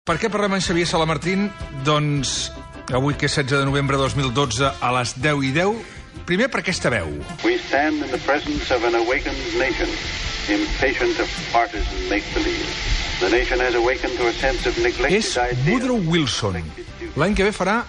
Per què parlem amb Xavier Salamartín? Doncs avui, que és 16 de novembre de 2012, a les 10:10, primer per aquesta veu. We stand in the presence of an awakened nation, impatient of partisan make-believe. The nation has awakened to a sense of neglected És ideals. Woodrow Wilson. L'any que ve farà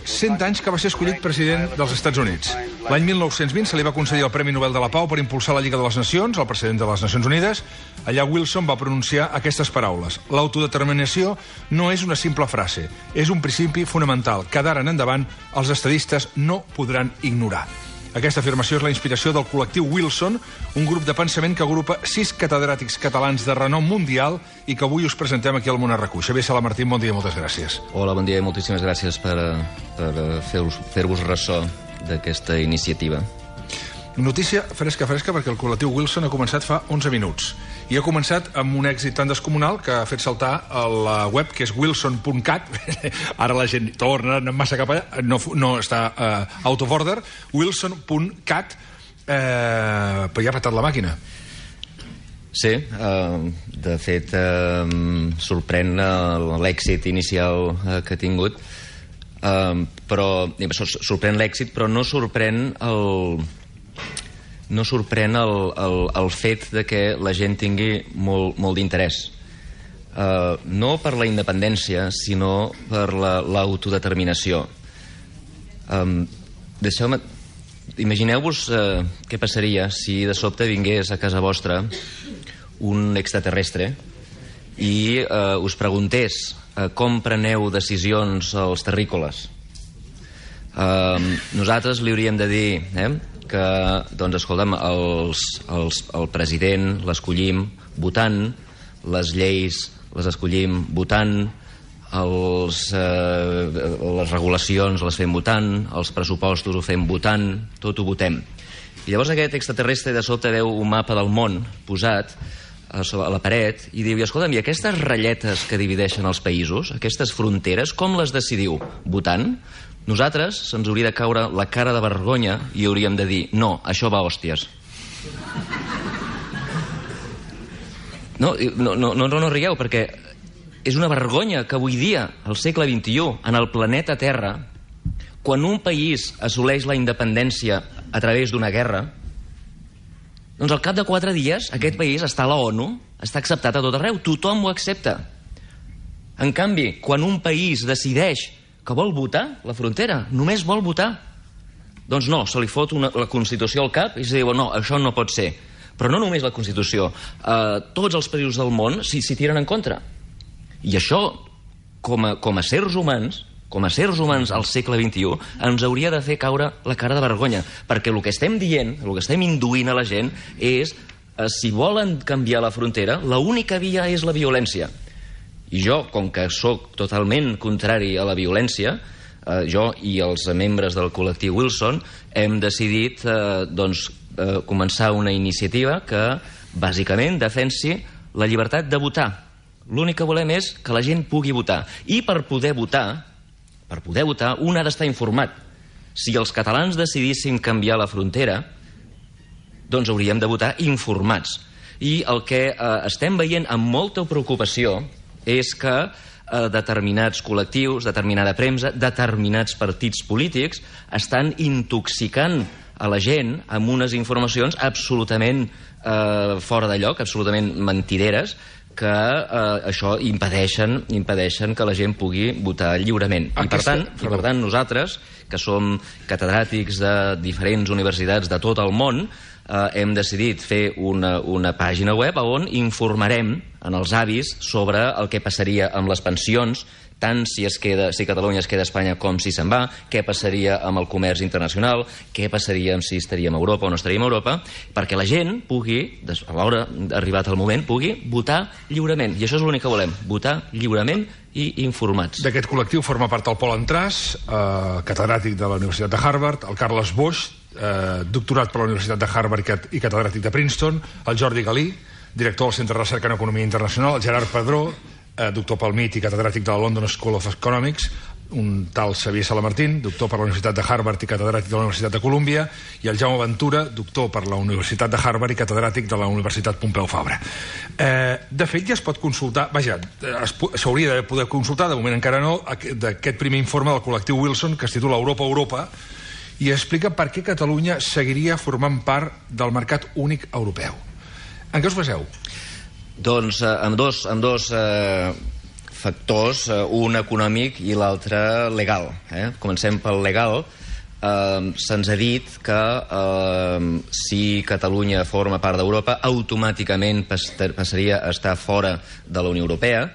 100 anys que va ser escollit president dels Estats Units. L'any 1920 se li va concedir el Premi Nobel de la Pau per impulsar la Lliga de les Nacions, el president de les Nacions Unides. Allà Wilson va pronunciar aquestes paraules: l'autodeterminació no és una simple frase, és un principi fonamental que d'ara en endavant els estadistes no podran ignorar. Aquesta afirmació és la inspiració del col·lectiu Wilson, un grup de pensament que agrupa 6 catedràtics catalans de renom mundial i que avui us presentem aquí al Món RQ. Xavier Salamartín, bon dia i moltes gràcies. Hola, bon dia i moltíssimes gràcies per fer-vos ressò d'aquesta iniciativa. Notícia fresca, perquè el col·lectiu Wilson ha començat fa 11 minuts. I ha començat amb un èxit tan descomunal que ha fet saltar a la web, que és wilson.cat. Ara la gent torna massa cap allà, no està out of order. Wilson.cat, però ja ha patat la màquina. Sí, de fet, sorprèn l'èxit inicial que ha tingut, però sorprèn l'èxit, però no sorprèn el fet de que la gent tingui molt d'interès. No per la independència, sinó per l'autodeterminació. Imagineu-vos què passaria si de sobte vingués a casa vostra un extraterrestre i us preguntés com preneu decisions als terrícoles. Nosaltres li hauríem de dir que, doncs, escolta'm, el president l'escollim votant, les lleis les escollim votant, les regulacions les fem votant, els pressupostos ho fem votant, tot ho votem. I llavors aquest extraterrestre de sobte veu un mapa del món posat a la paret i diu: escolta'm, i aquestes ratlletes que divideixen els països, aquestes fronteres, com les decidiu? Votant? Nosaltres se'ns hauria de caure la cara de vergonya i hauríem de dir: no, això va a hòsties. No rigueu, perquè és una vergonya que avui dia, al segle XXI, en el planeta Terra, quan un país assoleix la independència a través d'una guerra, doncs al cap de 4 dies aquest país està a la ONU, està acceptat a tot arreu, tothom ho accepta. En canvi, quan un país decideix que vol votar la frontera, només vol votar, doncs no, se li fot la Constitució al cap i se diu: no, això no pot ser. Però no només la Constitució, tots els països del món s'hi tiren en contra. I això, com a sers humans al segle XXI, ens hauria de fer caure la cara de vergonya, perquè el que estem dient, el que estem induint a la gent és: si volen canviar la frontera, l'única via és la violència. I jo, com que sóc totalment contrari a la violència, jo i els membres del col·lectiu Wilson hem decidit començar una iniciativa que bàsicament defensi la llibertat de votar. L'únic que volem és que la gent pugui votar. I per poder votar, un ha d'estar informat. Si els catalans decidissin canviar la frontera, doncs hauríem de votar informats. I el que estem veient amb molta preocupació és que determinats col·lectius, determinada premsa, determinats partits polítics estan intoxicant a la gent amb unes informacions absolutament fora de lloc, absolutament mentideres, que això impedeixen que la gent pugui votar lliurement. I per tant, nosaltres, que som catedràtics de diferents universitats de tot el món, hem decidit fer una pàgina web on informarem en els avis sobre el que passaria amb les pensions, tant si Catalunya es queda a Espanya com si se'n va, què passaria amb el comerç internacional, què passaria si estaríem a Europa o no estaríem a Europa, perquè la gent pugui, a l'hora arribat el moment, pugui votar lliurement. I això és l'únic que volem, votar lliurement i informats. D'aquest col·lectiu forma part el Pol Entràs, catedràtic de la Universitat de Harvard, el Carles Boix, doctorat per la Universitat de Harvard i catedràtic de Princeton, el Jordi Galí, director del Centre de Recerca en Economia Internacional, el Gerard Padró, doctor pel MIT i catedràtic de la London School of Economics, un tal Xavier Salamartín, doctor per la Universitat de Harvard i catedràtic de la Universitat de Colúmbia, i el Jaume Ventura, doctor per la Universitat de Harvard i catedràtic de la Universitat Pompeu Fabra. De fet, ja es pot consultar, vaja, s'hauria de poder consultar, de moment encara no, d'aquest primer informe del col·lectiu Wilson, que es titula Europa, Europa, i explica per què Catalunya seguiria formant part del mercat únic europeu. En què us baseu? Doncs amb dos factors, un econòmic i l'altre legal. Comencem pel legal. Se'ns ha dit que si Catalunya forma part d'Europa, automàticament passaria a estar fora de la Unió Europea,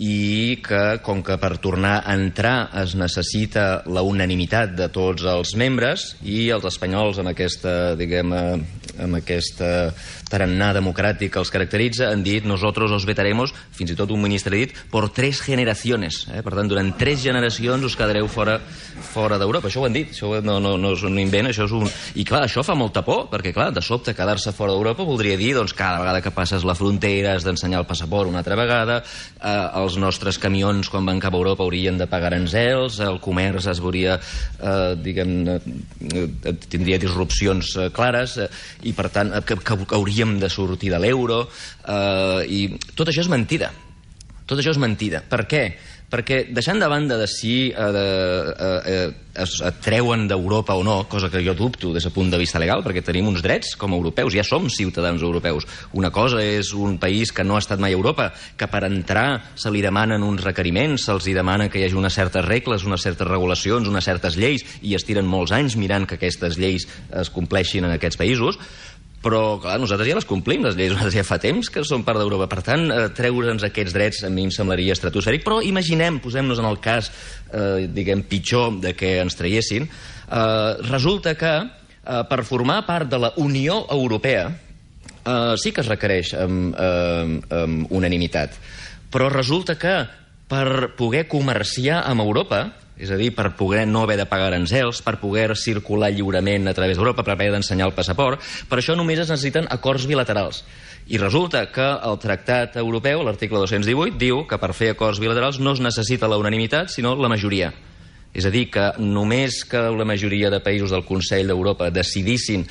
i que, com que per tornar a entrar es necessita la unanimitat de tots els membres, i els espanyols, amb aquesta, amb aquesta tarannà democràtic que els caracteritza, han dit nosotros os vetaremos, fins i tot un ministre ha dit, por 3 generaciones. Per tant, durant 3 generacions us quedareu fora d'Europa. Això ho han dit, això no és un invent, això és un... I clar, això fa molta por, perquè clar, de sobte quedar-se fora d'Europa voldria dir, doncs, cada vegada que passes la frontera has d'ensenyar el passaport una altra vegada, els nostres camions quan van cap a Europa haurien de pagar aranzels, el comerç es veuria, tindria disrupcions clares, i per tant que hauríem de sortir de l'euro, i tot això és mentida. Tot això és mentida. Per què? Perquè deixant de banda de si es treuen d'Europa o no, cosa que jo dubto des del punt de vista legal, perquè tenim uns drets com a europeus, ja som ciutadans europeus. Una cosa és un país que no ha estat mai a Europa, que per entrar se li demanen uns requeriments, se'ls demana que hi hagi unes certes regles, unes certes regulacions, unes certes lleis, i es tiren molts anys mirant que aquestes lleis es compleixin en aquests països. Però, clar, nosaltres ja les complim, les lleis, nosaltres ja fa temps que som part d'Europa. Per tant, treure'ns aquests drets a mi em semblaria estratosfèric, però imaginem, posem-nos en el cas, pitjor de que ens traiessin, resulta que per formar part de la Unió Europea sí que es requereix unanimitat, però resulta que per poder comerciar amb Europa, és a dir, per poder no haver de pagar aranzels, per poder circular lliurement a través d'Europa, per haver d'ensenyar el passaport, per això només es necessiten acords bilaterals. I resulta que el Tractat Europeu, l'article 218, diu que per fer acords bilaterals no es necessita la unanimitat, sinó la majoria. És a dir, que només que la majoria de països del Consell d'Europa decidissin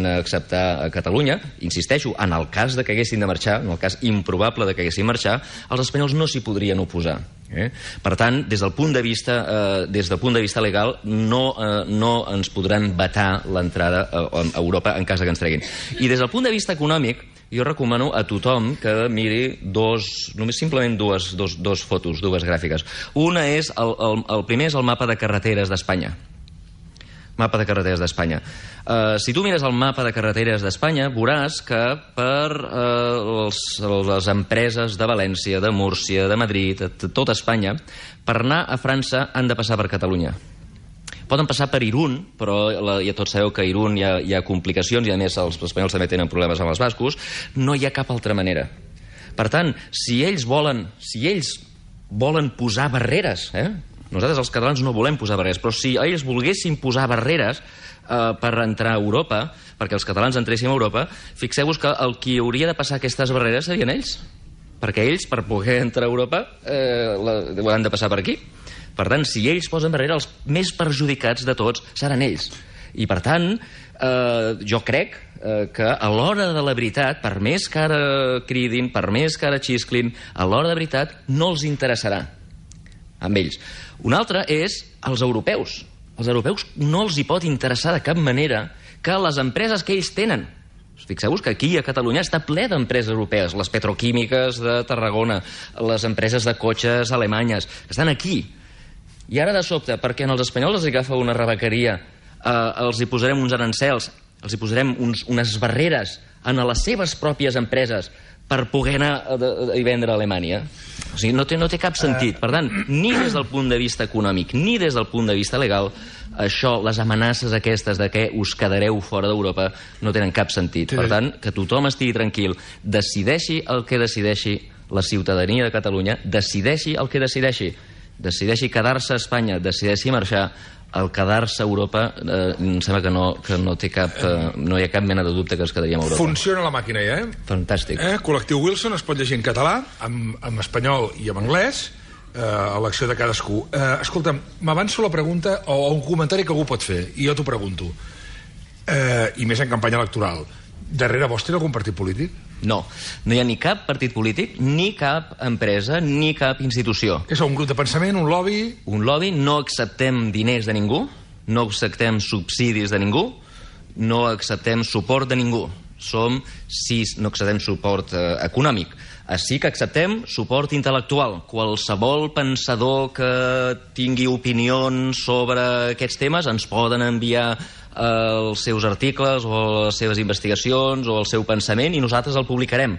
acceptar a Catalunya, insisteixo, en el cas de que haguessin de marxar, en el cas improbable de que haguessin de marxar, els espanyols no s'hi podrien oposar. Per tant, des del punt de vista legal, no ens podran vetar l'entrada a Europa en cas que ens treguin. I des del punt de vista econòmic, jo recomano a tothom que miri simplement dues fotos, dues gràfiques. Una és, el primer és el mapa de carreteres d'Espanya. Mapa de carreteres d'Espanya. Si tu mires el mapa de carreteres d'Espanya, veuràs que per les empreses de València, de Múrcia, de Madrid, de tota Espanya, per anar a França han de passar per Catalunya. Poden passar per Irún, però ja tots sabeu que a Irún hi ha complicacions, i a més els espanyols també tenen problemes amb els bascos. No hi ha cap altra manera. Per tant, si ells volen posar barreres, nosaltres els catalans no volem posar barreres, però si ells volguessin posar barreres per entrar a Europa, perquè els catalans entressin a Europa, fixeu-vos que el qui hauria de passar aquestes barreres serien ells, perquè ells, per poder entrar a Europa, han de passar per aquí. Per tant, si ells posen barrera, els més perjudicats de tots seran ells. I, per tant, jo crec que a l'hora de la veritat, per més que ara cridin, per més que ara xisclin, a l'hora de veritat no els interessarà amb ells. Una altra és els europeus. Els europeus no els hi pot interessar de cap manera que les empreses que ells tenen. Fixeu-vos que aquí a Catalunya està ple d'empreses europees, les petroquímiques de Tarragona, les empreses de cotxes alemanyes, que estan aquí. I ara de sobte, perquè als espanyols els agafa una rebequeria, els hi posarem uns arancels, els hi posarem unes barreres en les seves pròpies empreses per poder anar i vendre a Alemanya. O sigui, no té cap sentit. Per tant, ni des del punt de vista econòmic, ni des del punt de vista legal, això, les amenaces aquestes de que us quedareu fora d'Europa, no tenen cap sentit. Per tant, que tothom estigui tranquil, decideixi el que decideixi la ciutadania de Catalunya, decideixi el que decideixi. Decideixi quedar-se a Espanya, decideixi marxar. El quedar-se a Europa em sembla que no hi ha cap mena de dubte que ens quedaríem a Europa. Funciona la màquina ja, Fantàstic. Col·lectiu Wilson es pot llegir en català, en espanyol i en anglès. elecció de cadascú. Escolta'm, m'avanço la pregunta o un comentari que algú pot fer, i jo t'ho pregunto. I més en campanya electoral. Darrere vostre algun partit polític? No, no hi ha ni cap partit polític, ni cap empresa, ni cap institució. Què sou, un grup de pensament, un lobby? Un lobby, no acceptem diners de ningú, no acceptem subsidis de ningú, no acceptem suport de ningú. No acceptem suport econòmic. Sí que acceptem suport intel·lectual. Qualsevol pensador que tingui opinions sobre aquests temes ens poden enviar els seus articles o les seves investigacions o el seu pensament i nosaltres el publicarem.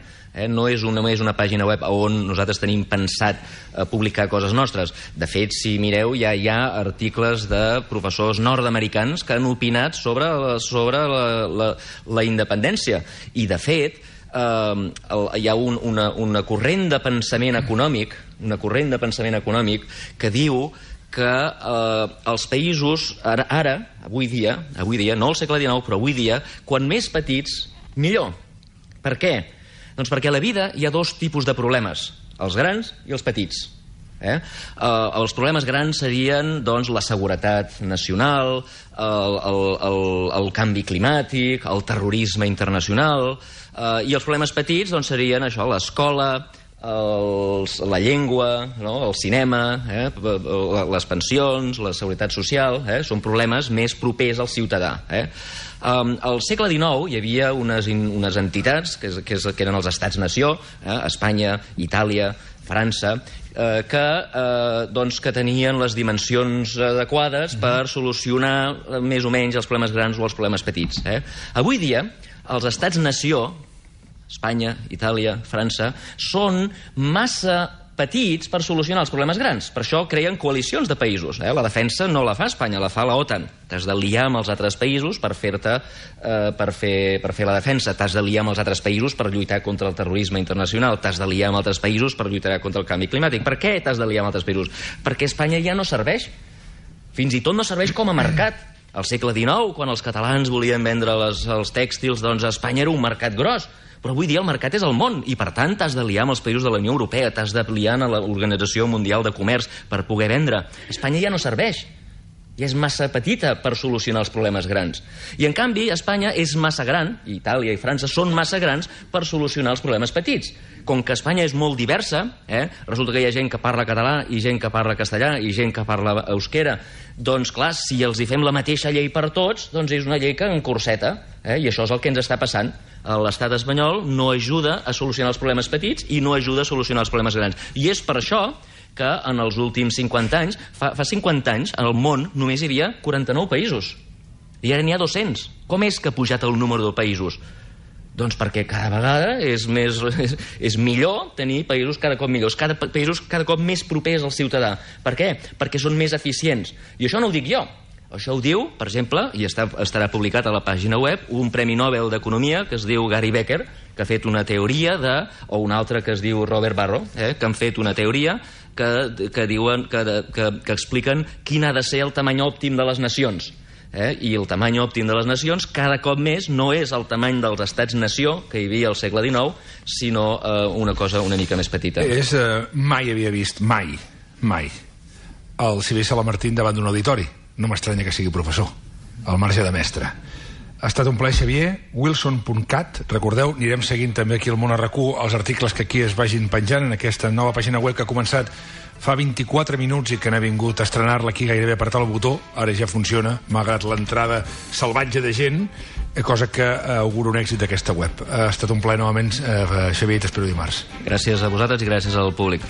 No és una pàgina web on nosaltres tenim pensat publicar coses nostres. De fet, si mireu, ja hi ha articles de professors nord-americans que han opinat sobre la independència. I, de fet, hi ha una corrent de pensament econòmic que diu que els països, avui dia, no al segle XIX, però avui dia, quan més petits, millor. Per què? Doncs perquè a la vida hi ha dos tipus de problemes, els grans i els petits. Els problemes grans serien doncs, la seguretat nacional, el canvi climàtic, el terrorisme internacional, i els problemes petits doncs, serien això, l'escola, la llengua, el cinema, les pensions, la seguretat social, són problemes més propers al ciutadà. Al segle XIX hi havia unes entitats que eren els estats-nació, Espanya, Itàlia, França, que tenien les dimensions adequades per solucionar més o menys els problemes grans o els problemes petits. Avui dia, els estats-nació, Espanya, Itàlia, França, són massa petits per solucionar els problemes grans. Per això creen coalicions de països. La defensa no la fa Espanya, la fa l'OTAN. T'has de liar amb els altres països per fer la defensa. T'has de liar amb els altres països per lluitar contra el terrorisme internacional. T'has de liar amb altres països per lluitar contra el canvi climàtic. Per què t'has de liar amb altres països? Perquè Espanya ja no serveix. Fins i tot no serveix com a mercat. Al segle XIX, quan els catalans volien vendre els tèxtils, doncs Espanya era un mercat gros. Però avui dia el mercat és el món i, per tant, t'has de liar amb els països de la Unió Europea, t'has de liar amb l'Organització Mundial de Comerç per poder vendre. Espanya ja no serveix. Ja és massa petita per solucionar els problemes grans. I, en canvi, Espanya és massa gran, i Itàlia i França són massa grans per solucionar els problemes petits. Com que Espanya és molt diversa, resulta que hi ha gent que parla català i gent que parla castellà i gent que parla euskera, doncs, clar, si els hi fem la mateixa llei per tots, doncs és una llei que encorseta, i això és el que ens està passant. L'estat espanyol no ajuda a solucionar els problemes petits i no ajuda a solucionar els problemes grans. I és per això que en els últims 50 anys, fa 50 anys, al món només hi havia 49 països. I ara n'hi ha 200. Com és que ha pujat el número de països? Doncs perquè cada vegada és millor tenir països cada cop millors, països cada cop més propers al ciutadà. Per què? Perquè són més eficients. I això no ho dic jo. Això ho diu, per exemple, i estarà publicat a la pàgina web, un Premi Nobel d'Economia que es diu Gary Becker, que ha fet una teoria o un altre que es diu Robert Barro, que han fet una teoria que diuen que expliquen quin ha de ser el tamany òptim de les nacions. I el tamany òptim de les nacions cada cop més no és el tamany dels estats-nació que hi havia al segle XIX, sinó una cosa una mica més petita. Mai havia vist, mai, el Xavier Salamartín davant d'un auditori. No m'estranya que sigui professor, al marge de mestre. Ha estat un plaer, Xavier. Wilson.cat, recordeu, anirem seguint també aquí al Món RQ els articles que aquí es vagin penjant en aquesta nova pàgina web que ha començat fa 24 minuts i que n'ha vingut a estrenar-la aquí gairebé a apretar el botó. Ara ja funciona, malgrat l'entrada salvatge de gent, cosa que augura un èxit d'aquesta web. Ha estat un plaer novament, Xavier, i t'espero dimarts. Gràcies a vosaltres i gràcies al públic.